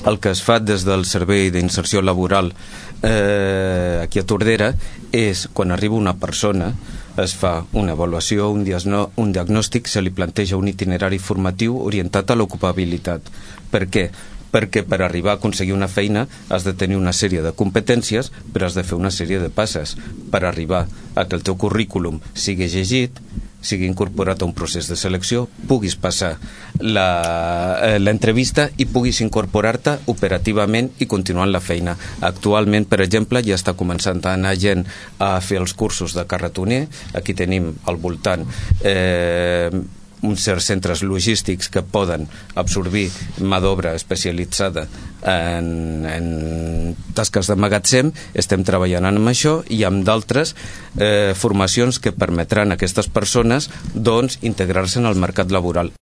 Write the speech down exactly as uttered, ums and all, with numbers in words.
el que es fa des del Servei d'Inserció Laboral eh, aquí a Tordera és, quan arriba una persona, es fa una avaluació, un, diasno, un diagnòstic, se li planteja un itinerari formatiu orientat a l'ocupabilitat. Per què? Perquè per arribar a aconseguir una feina has de tenir una sèrie de competències, però has de fer una sèrie de passes per arribar a que el teu currículum sigui llegit, sigui incorporat a un procés de selecció, puguis passar l'entrevista i puguis incorporar-te operativament i continuar la feina. Actualment, per exemple, ja està començant a anar gent a fer els cursos de carretoner. Aquí tenim al voltant eh, uns certs centres logístics que poden absorbir mà d'obra especialitzada en, en tasques de magatzem. Estem treballant amb això i amb d'altres eh, formacions que permetran a aquestes persones doncs, integrar-se en el mercat laboral.